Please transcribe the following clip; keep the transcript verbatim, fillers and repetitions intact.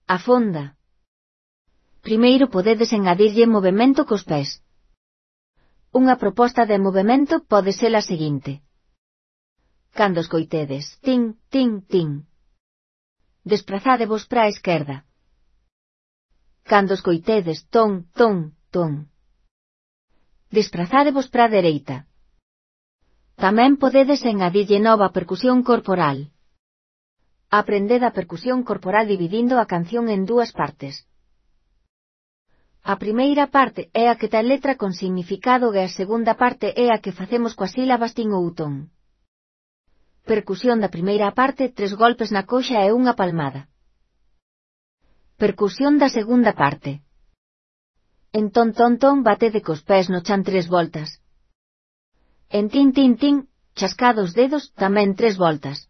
Afonda. Primeiro podedes engadirlle movemento cos pés. Unha proposta de movemento pode ser a seguinte. Cando escoitedes tin, tin, tin, desprazádevos para a esquerda. Cando escoitedes ton, ton, ton, desprazádevos para a dereita. Tamén podedes engadirlle nova percusión corporal. Aprended a percusión corporal dividindo a canción en dúas partes. A primeira parte é a que ten letra con significado e a segunda parte é a que facemos coas sílabas tin ou ton. Percusión da primeira parte, tres golpes na coxa e unha palmada. Percusión da segunda parte. En ton ton ton batede cos pés no chan tres voltas. En tin tin tin, chascado os dedos, tamén tres voltas.